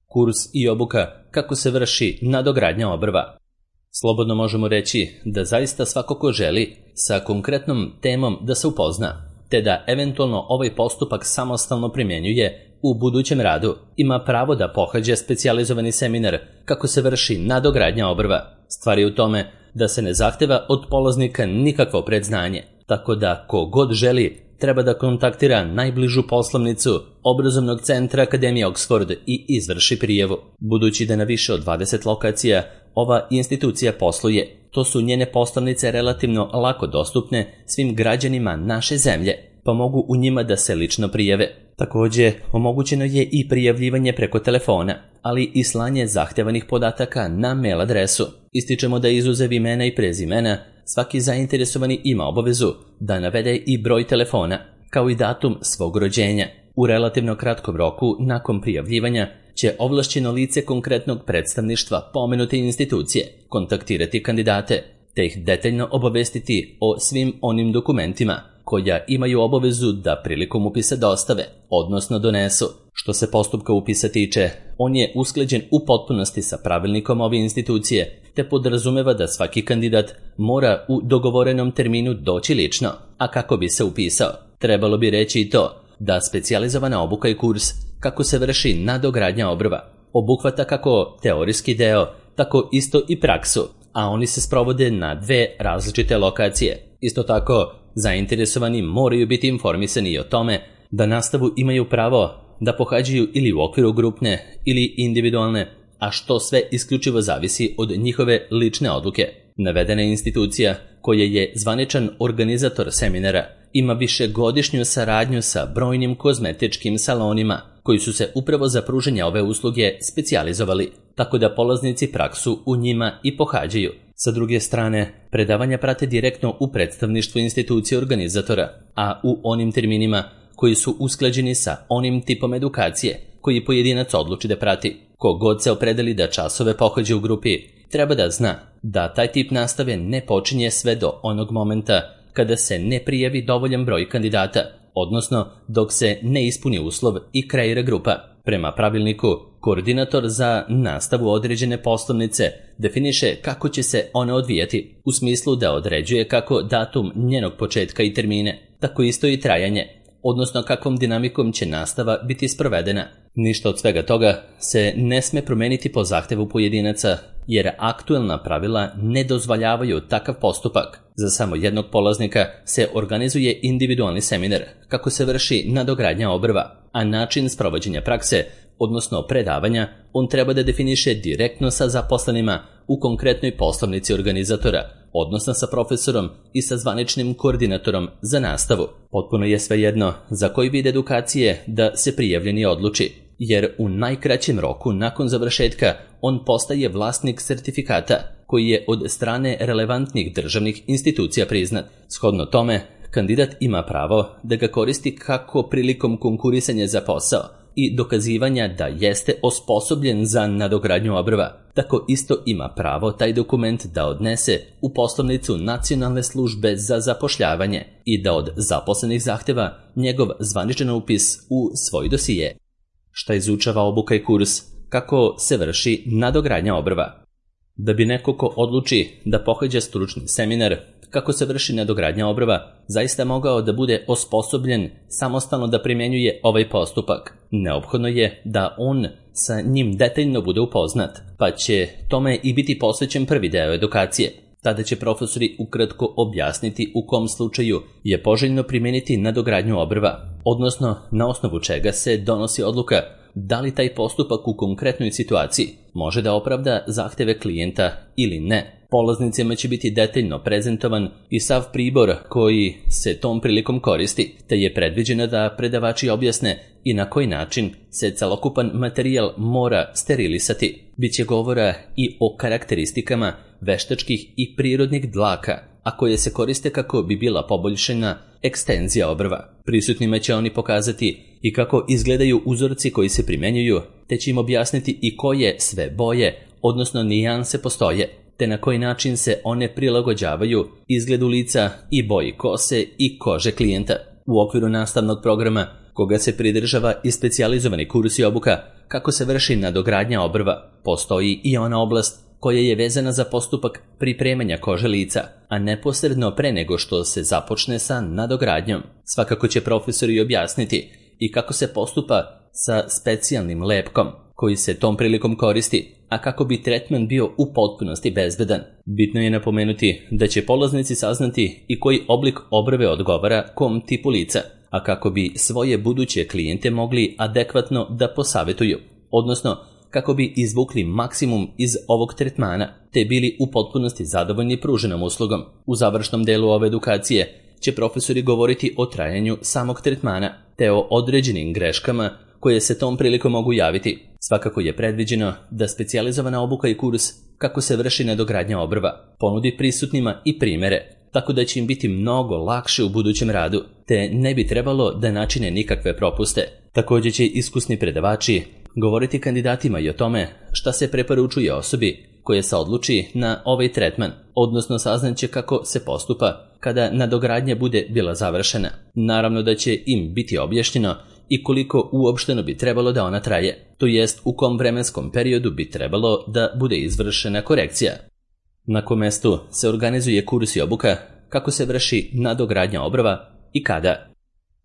Kurs i obuka kako se vrši nadogradnja obrva. Slobodno možemo reći da zaista svako ko želi sa konkretnom temom da se upozna, te da eventualno ovaj postupak samostalno primjenjuje u budućem radu, ima pravo da pohađa specijalizovani seminar kako se vrši nadogradnja obrva. Stvar je u tome da se ne zahteva od polaznika nikakvo predznanje, tako da ko god želi treba da kontaktira najbližu poslovnicu obrazovnog centra Akademije Oxford i izvrši prijavu. Budući da na više od 20 lokacija ova institucija posluje, to su njene poslovnice relativno lako dostupne svim građanima naše zemlje, pa mogu u njima da se lično prijave. Također, omogućeno je i prijavljivanje preko telefona, ali i slanje zahtevanih podataka na mail adresu. Ističemo da izuzev imena i prezimena, svaki zainteresovani ima obavezu da navede i broj telefona, kao i datum svog rođenja. U relativno kratkom roku, nakon prijavljivanja, će ovlašćeno lice konkretnog predstavništva pomenute institucije kontaktirati kandidate, te ih detaljno obavestiti o svim onim dokumentima koja imaju obavezu da prilikom upisa dostave, odnosno donesu. Što se postupka upisa tiče, on je usklađen u potpunosti sa pravilnikom ove institucije, te podrazumeva da svaki kandidat mora u dogovorenom terminu doći lično, a kako bi se upisao, trebalo bi reći i to da specijalizovana obuka i kurs kako se vrši nadogradnja obrva obuhvata kako teorijski deo, tako isto i praksu, a oni se sprovode na 2 različite lokacije. Isto tako, zainteresovani moraju biti informisani i o tome da nastavu imaju pravo da pohađaju ili u okviru grupne ili individualne, a što sve isključivo zavisi od njihove lične odluke. Navedena institucija, koja je zvaničan organizator seminara, ima višegodišnju saradnju sa brojnim kozmetičkim salonima koji su se upravo za pružanje ove usluge specijalizovali, tako da polaznici praksu u njima i pohađaju. Sa druge strane, predavanja prate direktno u predstavništvu institucije organizatora, a u onim terminima koji su usklađeni sa onim tipom edukacije koji pojedinac odluči da prati. Kogod se opredeli da časove pohađa u grupi, treba da zna da taj tip nastave ne počinje sve do onog momenta kada se ne prijavi dovoljan broj kandidata, odnosno dok se ne ispuni uslov i kreira grupa. Prema pravilniku, koordinator za nastavu određene poslovnice definiše kako će se ona odvijati, u smislu da određuje kako datum njenog početka i termine, tako isto i trajanje, odnosno kakvom dinamikom će nastava biti sprovedena. Ništa od svega toga se ne sme promeniti po zahtevu pojedinaca, jer aktuelna pravila ne dozvoljavaju takav postupak. Za samo jednog polaznika se organizuje individualni seminar kako se vrši nadogradnja obrva, a način sprovođenja prakse, odnosno predavanja, on treba da definiše direktno sa zaposlenima u konkretnoj poslovnici organizatora, odnosno sa profesorom i sa zvaničnim koordinatorom za nastavu. Potpuno je svejedno za koji vid edukacije da se prijavljeni odluči, jer u najkraćem roku nakon završetka on postaje vlasnik sertifikata koji je od strane relevantnih državnih institucija priznat. Shodno tome, kandidat ima pravo da ga koristi kako prilikom konkurisanja za posao i dokazivanja da jeste osposobljen za nadogradnju obrva, tako isto ima pravo taj dokument da odnese u poslovnicu Nacionalne službe za zapošljavanje i da od zaposlenih zahteva njegov zvaničan upis u svoj dosije. Šta izučava obuka i kurs? Kako se vrši nadogradnja obrva? Da bi neko ko odluči da pohađa stručni seminar kako se vrši nadogradnja obrva, zaista mogao da bude osposobljen samostalno da primjenjuje ovaj postupak. Neophodno je da on sa njim detaljno bude upoznat, pa će tome i biti posvećen prvi deo edukacije. Tada će profesori ukratko objasniti u kom slučaju je poželjno primijeniti nadogradnju obrva, odnosno na osnovu čega se donosi odluka da li taj postupak u konkretnoj situaciji može da opravda zahteve klijenta ili ne. Polaznicima će biti detaljno prezentovan i sav pribor koji se tom prilikom koristi, te je predviđeno da predavači objasne i na koji način se celokupan materijal mora sterilisati. Biće govora i o karakteristikama veštačkih i prirodnih dlaka, a koje se koriste kako bi bila poboljšana ekstenzija obrva. Prisutnima će oni pokazati i kako izgledaju uzorci koji se primjenjuju, te će im objasniti i koje sve boje, odnosno nijanse postoje, te na koji način se one prilagođavaju izgledu lica i boji kose i kože klijenta. U okviru nastavnog programa koga se pridržava i specijalizovani kurs i obuka kako se vrši nadogradnja obrva, postoji i ona oblast koja je vezana za postupak pripremanja kože lica, a neposredno pre nego što se započne sa nadogradnjom. Svakako će profesori objasniti i kako se postupa sa specijalnim lepkom koji se tom prilikom koristi, a kako bi tretman bio u potpunosti bezbedan. Bitno je napomenuti da će polaznici saznati i koji oblik obrve odgovara kom tipu lica, a kako bi svoje buduće klijente mogli adekvatno da posavetuju, odnosno kako bi izvukli maksimum iz ovog tretmana, te bili u potpunosti zadovoljni pruženom uslugom. U završnom delu ove edukacije će profesori govoriti o trajanju samog tretmana, te o određenim greškama koje se tom prilikom mogu javiti. Svakako je predviđeno da specijalizovana obuka i kurs kako se vrši nadogradnja obrva ponudi prisutnima i primere, tako da će im biti mnogo lakše u budućem radu, te ne bi trebalo da načine nikakve propuste. Također će iskusni predavači govoriti kandidatima i o tome šta se preporučuje osobi koja se odluči na ovaj tretman, odnosno saznaće kako se postupa kada nadogradnja bude bila završena. Naravno da će im biti objašnjeno i koliko uopšteno bi trebalo da ona traje, to jest u kom vremenskom periodu bi trebalo da bude izvršena korekcija. Na kom mestu se organizuje kurs i obuka, kako se vrši nadogradnja obrva i kada.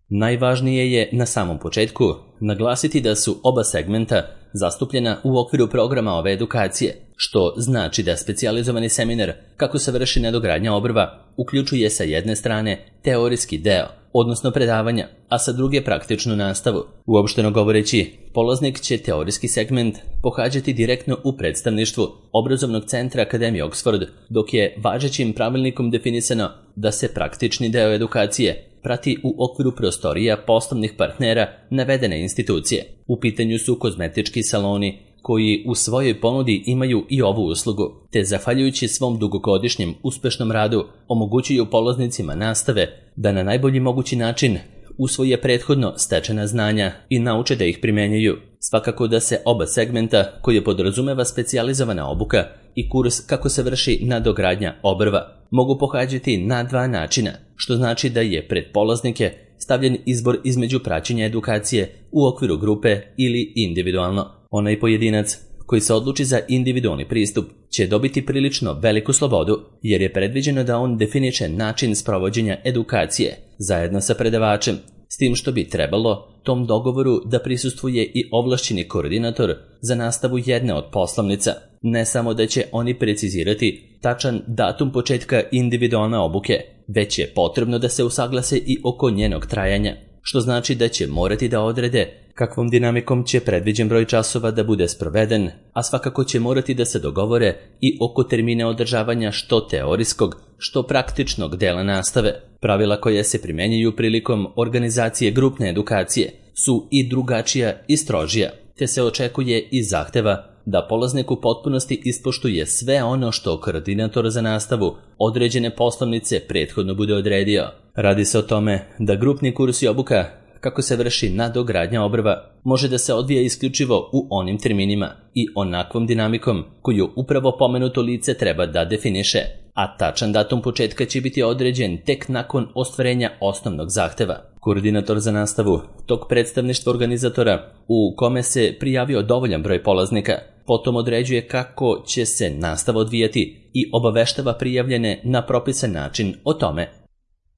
Najvažnije je na samom početku naglasiti da su oba segmenta zastupljena u okviru programa ove edukacije, što znači da specijalizovani seminar kako se vrši nadogradnja obrva uključuje sa jedne strane teorijski deo, odnosno predavanja, a sa druge praktičnu nastavu. Uopšteno govoreći, polaznik će teorijski segment pohađati direktno u predstavništvu Obrazovnog centra Akademije Oxford, dok je važećim pravilnikom definisano da se praktični deo edukacije prati u okviru prostorija poslovnih partnera navedene institucije. U pitanju su kozmetički saloni koji u svojoj ponudi imaju i ovu uslugu, te zahvaljujući svom dugogodišnjem uspešnom radu omogućuju polaznicima nastave da na najbolji mogući način usvoje prethodno stečena znanja i nauče da ih primenjuju. Svakako da se oba segmenta koje podrazumeva specijalizovana obuka i kurs kako se vrši nadogradnja obrva mogu pohađati na dva načina, što znači da je pred polaznike stavljen izbor između praćenja edukacije u okviru grupe ili individualno. Onaj pojedinac koji se odluči za individualni pristup će dobiti prilično veliku slobodu, jer je predviđeno da on definiše način sprovođenja edukacije zajedno sa predavačem, s tim što bi trebalo tom dogovoru da prisustvuje i ovlašćeni koordinator za nastavu jedne od poslovnica. Ne samo da će oni precizirati tačan datum početka individualne obuke, već je potrebno da se usaglase i oko njenog trajanja, što znači da će morati da odrede kakvom dinamikom će predviđen broj časova da bude sproveden, a svakako će morati da se dogovore i oko termine održavanja što teorijskog, što praktičnog dela nastave. Pravila koja se primenjuju prilikom organizacije grupne edukacije su i drugačija i strožija, te se očekuje i zahteva da polaznik u potpunosti ispoštuje sve ono što koordinator za nastavu određene poslovnice prethodno bude odredio. Radi se o tome da grupni kurs i obuka kako se vrši nadogradnja obrva može da se odvija isključivo u onim terminima i onakvom dinamikom koju upravo pomenuto lice treba da definiše, a tačan datum početka će biti određen tek nakon ostvarenja osnovnog zahteva. Koordinator za nastavu tog predstavništva organizatora u kome se prijavio dovoljan broj polaznika potom određuje kako će se nastava odvijati i obaveštava prijavljene na propisan način o tome.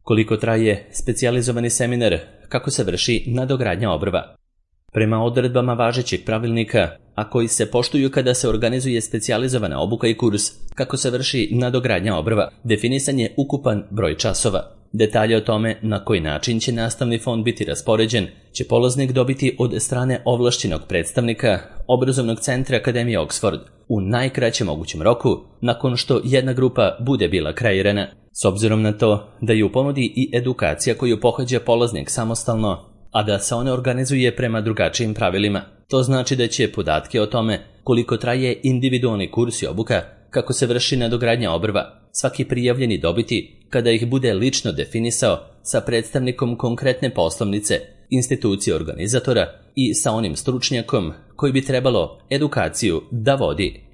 Koliko traje specijalizovani seminar kako se vrši nadogradnja obrva? Prema odredbama važećeg pravilnika, a koji se poštuju kada se organizuje specijalizovana obuka i kurs kako se vrši nadogradnja obrva, definisan je ukupan broj časova. Detalje o tome na koji način će nastavni fond biti raspoređen će polaznik dobiti od strane ovlašćenog predstavnika Obrazovnog centra Akademije Oxford u najkraćem mogućem roku nakon što jedna grupa bude bila kreirana. S obzirom na to da je u ponudi i edukacija koju pohađa polaznik samostalno, a da se ona organizuje prema drugačijim pravilima, to znači da će podatke o tome koliko traje individualni kurs i obuka kako se vrši nadogradnja obrva svaki prijavljeni dobiti kada ih bude lično definisao sa predstavnikom konkretne poslovnice, institucije organizatora i sa onim stručnjakom koji bi trebalo edukaciju da vodi.